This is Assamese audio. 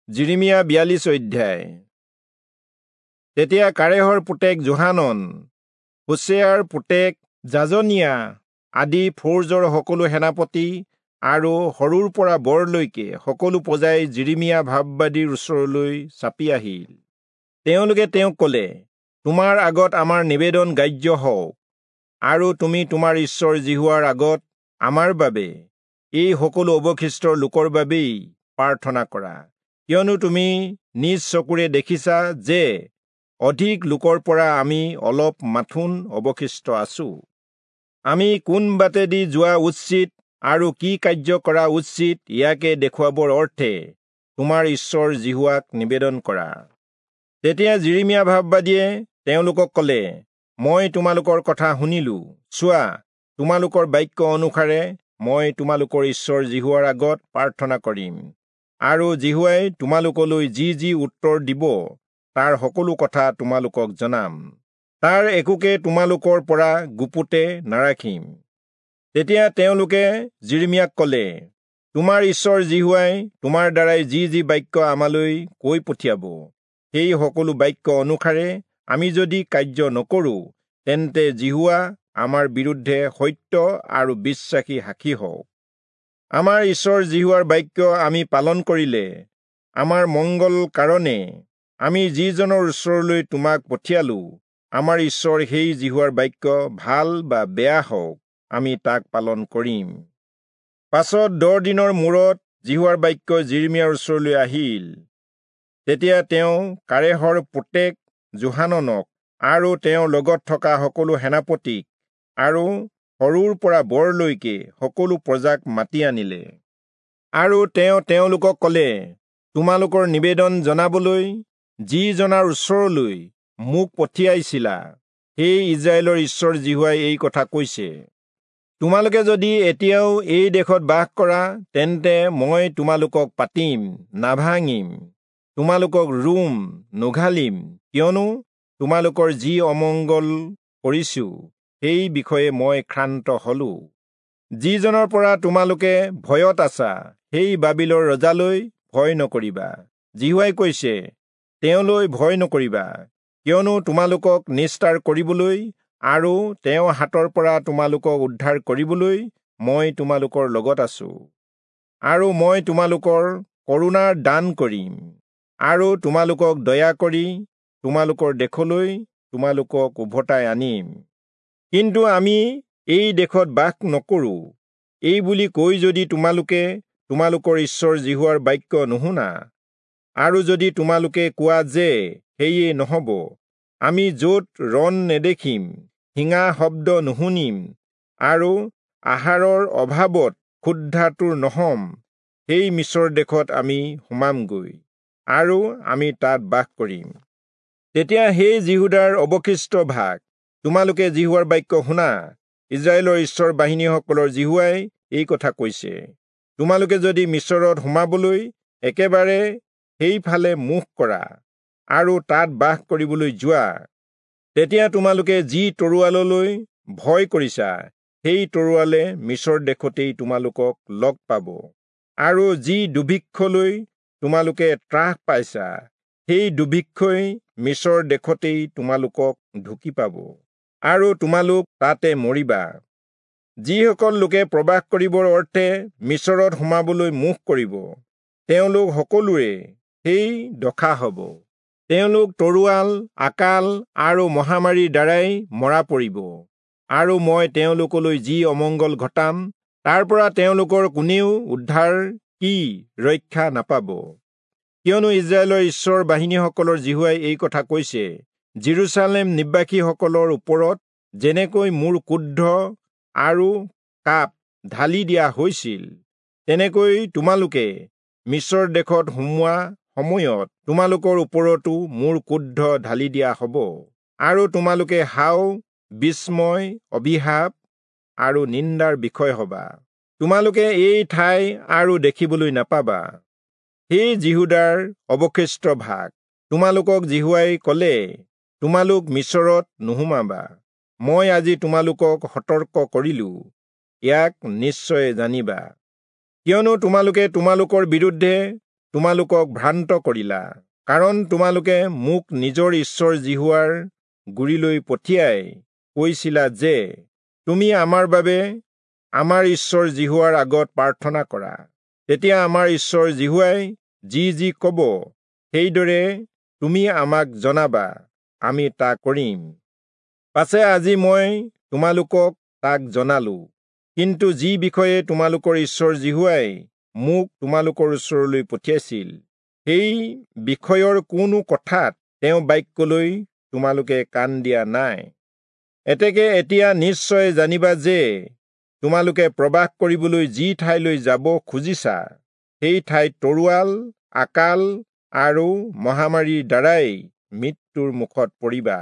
যিৰিমিয়া 42 অধ্যায়। তেতিয়া কাৰেহৰ পুতেক যোহানন, হোচেয়াৰ পুতেক যাজনিয়া আদি ফৌজৰ সকলো সেনাপতি আৰু সৰুৰ পৰা বৰলৈকে সকলো প্ৰজাই যিৰিমিয়া ভাববাদীৰ ওচৰলৈ চাপি আহিল। তেওঁলোকে তেওঁক ক'লে, তোমাৰ আগত আমাৰ নিবেদন গ্ৰাহ্য হওক, আৰু তুমি তোমাৰ ঈশ্বৰ যিহোৱাৰ আগত আমাৰ বাবে, এই সকলো অৱশিষ্ট লোকৰ বাবেই প্ৰাৰ্থনা কৰা, কিয়নো তুমি নিজ চকুৰে দেখিছা যে অধিক লোকৰ পৰা আমি অলপ মাথোন অৱশিষ্ট আছো। আমি কোন বাটেদি যোৱা উচিত আৰু কি কাৰ্য কৰা উচিত ইয়াকে দেখুৱাবৰ অৰ্থে তোমাৰ ঈশ্বৰ যিহোৱাক নিবেদন কৰা। তেতিয়া যিৰিমিয়া ভাববাদীয়ে তেওঁলোকক ক'লে, মই তোমালোকৰ কথা শুনিলো, চোৱা, তোমালোকৰ বাক্য অনুসাৰে মই তোমালোকৰ ঈশ্বৰ যিহোৱাৰ আগত প্ৰাৰ্থনা কৰিম, আৰু যিহোৱাই তোমালোকলৈ যি যি উত্তৰ দিব তাৰ সকলো কথা তোমালোকক জনাম, তাৰ একোকে তোমালোকৰ পৰা গুপুতে নাৰাখিম। তেতিয়া তেওঁলোকে যিৰিমিয়াক ক'লে, তোমাৰ ঈশ্বৰ যিহোৱাই তোমাৰ দ্বাৰাই যি যি বাক্য আমালৈ কৈ পঠিয়াব, সেই সকলো বাক্য অনুসাৰে আমি যদি কাৰ্য নকৰোঁ, তেন্তে যিহোৱা আমাৰ বিৰুদ্ধে সত্য আৰু বিশ্বাসী সাক্ষী হওক। আমাৰ ঈশ্বৰ যিহোৱাৰ বাক্য আমি পালন কৰিলে আমাৰ মংগল কাৰণে আমি যিজনৰ ওচৰলৈ তোমাক পঠিয়ালো, আমাৰ ঈশ্বৰ সেই যিহোৱাৰ বাক্য ভাল বা বেয়া হওক, আমি তাক পালন কৰিম। পাছত 10 দিনৰ মূৰত যিহোৱাৰ বাক্য যিৰিমিয়াৰ ওচৰলৈ আহিল। তেতিয়া তেওঁ কাৰেহৰ পুতেক যোহাননক আৰু তেওঁৰ লগত থকা সকলো সেনাপতিক আৰু সৰুৰ পৰা বৰলৈকে সকলো প্ৰজাক মাতি আনিলে। আৰু তেওঁ তেওঁলোকক ক'লে, তোমালোকৰ নিবেদন জনাবলৈ যিজনাৰ ওচৰলৈ মোক পঠিয়াইছিলা, সেই ইস্ৰায়েলৰ ঈশ্বৰ যিহোৱাই এই কথা কৈছে, তোমালোকে যদি এতিয়াও এই দেশত বাস কৰা, তেন্তে মই তোমালোকক পাতিম, নাভাঙিম, তোমালোকক ৰুম, নুঘালিম, কিয়নো তোমালোকৰ যি অমংগল কৰিছো সেই বিষয়ে মই ক্ষান্ত হলো। যিজনৰ পৰা তোমালোকে ভয়ত আছা, সেই বাবিলৰ ৰজালৈ ভয় নকৰিবা। যিহোৱাই কৈছে, তেওঁলৈ ভয় নকৰিবা, কিয়নো তোমালোকক নিস্তাৰ কৰিবলৈ আৰু তেওঁৰ হাতৰ পৰা তোমালোকক উদ্ধাৰ কৰিবলৈ মই তোমালোকৰ লগত আছো, আৰু মই তোমালোকৰ কৰুণাৰ দান কৰিম, আৰু তোমালোকক দয়া কৰি তোমালোকৰ দেশলৈ তোমালোকক উভতাই আনিম। কিন্তু আমি এই দেশত বাস নকৰোঁ, এই বুলি কৈ যদি তোমালোকে তোমালোকৰ ঈশ্বৰ যিহোৱাৰ বাক্য নুশুনা, আৰু যদি তোমালোকে কোৱা যে সেয়ে নহ'ব, আমি য'ত ৰণ নেদেখিম, শিঙা শব্দ নুশুনিম, আৰু আহাৰৰ অভাৱত ক্ষুধাতুৰ নহ'ম, সেই মিছৰ দেশত আমি সোমামগৈ, আৰু আমি তাত বাস কৰিম। তেতিয়া সেই যিহূদাৰ অৱশিষ্ট ভাগ, তোমালোকে যিহোৱাৰ বাক্য শুনা। ইস্ৰায়েলৰ ঈশ্বৰ বাহিনীসকলৰ যিহোৱাই এই কথা কৈছে, তোমালোকে যদি মিছৰত সোমাবলৈ একেবাৰে সেইফালে মুখ কৰা আৰু তাত বাস কৰিবলৈ যোৱা, তেতিয়া তোমালোকে যি তৰোৱাললৈ ভয় কৰিছা, সেই তৰোৱালে মিছৰ দেশতেই তোমালোকক লগ পাব, আৰু যি দুৰ্ভিক্ষলৈ তোমালোকে ত্ৰাস পাইছা, সেই দুৰ্ভিক্ষই মিছৰ দেশতেই তোমালোকক ঢুকি পাব, আৰু তোমালোক তাতে মৰিবা। যিসকল লোকে প্ৰবাস কৰিবৰ অৰ্থে মিছৰত সোমাবলৈ মুখ কৰিব, তেওঁলোক সকলোৰে সেই দশা হ'ব। তেওঁলোক তৰোৱাল, আকাল আৰু মহামাৰীৰ দ্বাৰাই মৰা পৰিব, আৰু মই তেওঁলোকলৈ যি অমংগল ঘটাম, তাৰ পৰা তেওঁলোকৰ কোনেও উদ্ধাৰ কি ৰক্ষা নাপাব। কিয়নো ইস্ৰায়েলৰ ঈশ্বৰ বাহিনীসকলৰ যিহোৱাই এই কথা কৈছে, যিৰূচালেম নিবাসীসকলৰ ওপৰত যেনেকৈ মোৰ ক্ৰোধ আৰু কাপ ঢালি দিয়া হৈছিল, তেনেকৈ তোমালোকে মিছৰ দেশত সোমোৱা সময়ত তোমালোকৰ ওপৰতো মোৰ ক্ৰোধ ঢালি দিয়া হ'ব, আৰু তোমালোকে হাও, বিস্ময়, অভিশাপ আৰু নিন্দাৰ বিষয় হবা। তোমালোকে এই ঠাই আৰু দেখিবলৈ নাপাবা। সেই যিহূদাৰ অৱশিষ্ট ভাগ, তোমালোকক যিহোৱাই ক'লে, তোমালোক মিছৰত নোসোমাবা। মই আজি তোমালোকক সতৰ্ক কৰিলো, ইয়াক নিশ্চয় জানিবা। কিয়নো তোমালোকে তোমালোকৰ বিৰুদ্ধে তোমালোকক ভ্ৰান্ত কৰিলা, কাৰণ তোমালোকে মোক নিজৰ ঈশ্বৰ যিহোৱাৰ গুৰিলৈ পঠিয়াই কৈছিলা যে, তুমি আমাৰ বাবে আমাৰ ঈশ্বৰ যিহোৱাৰ আগত প্ৰাৰ্থনা কৰা, তেতিয়া আমাৰ ঈশ্বৰ যিহোৱাই যি যি কব সেইদৰে তুমি আমাক জনাবা, আমি তাক কৰিম। পাছে আজি মই তোমালোকক তাক জনালো, কিন্তু যি বিষয়ে তোমালোকৰ ঈশ্বৰ যিহোৱাই মোক তোমালোকৰ ওচৰলৈ পঠিয়াইছিল, সেই বিষয়ৰ কোনো কথাত তেওঁ বাক্যলৈ তোমালোকে কাণ দিয়া নাই। এতেকে এতিয়া নিশ্চয় জানিবা যে তোমালোকে প্ৰবাস কৰিবলৈ যি ঠাইলৈ যাব খুজিছা, সেই ঠাইত তৰোৱাল, আকাল আৰু মহামাৰীৰ দ্বাৰাই মৃত্যুৰ মুখত পৰিবা।